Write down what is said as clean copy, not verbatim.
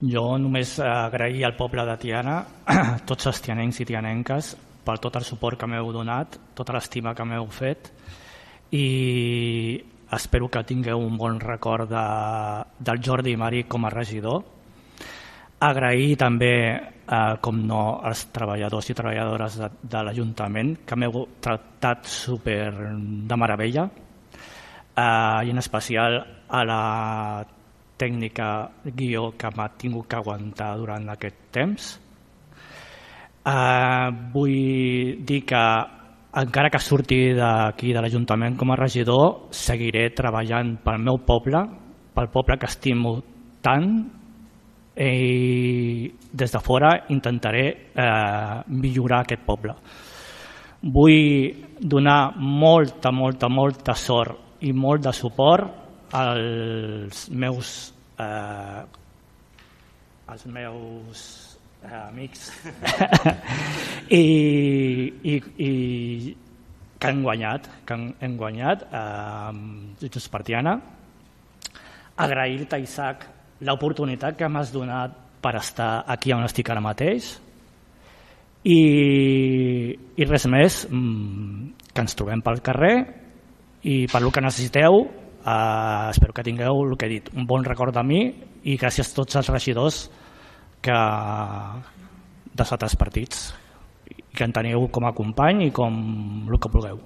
Jo només agrair al poble de Tiana, tots els tianencs i tianenques, per tot el suport que m'heu donat, tota l'estima que m'heu fet, i espero que tingueu un bon record del Jordi Mari com a regidor. Agrair també, com no, als treballadors i treballadores de l'Ajuntament, que m'heu tractat super de meravella, i en especial a la tècnica guió que m'ha tingut que aguantar durant aquest temps. Vull dir que encara que surti d'aquí de l'Ajuntament com a regidor, seguiré treballant pel meu poble, pel poble que estimo tant, i des de fora intentaré millorar aquest poble. Vull donar molta sort i molt de suport als meus amics i que hem guanyat Junts per Tiana. Agrair-te, Isaac, l'oportunitat que m'has donat per estar aquí on estic ara mateix, i res més, que ens trobem pel carrer i per el que necessiteu. Espero que tingueu, el que he dit, un bon record de mi, i gràcies a tots els regidors dels altres partits, i que en teniu com a company i com el que vulgueu.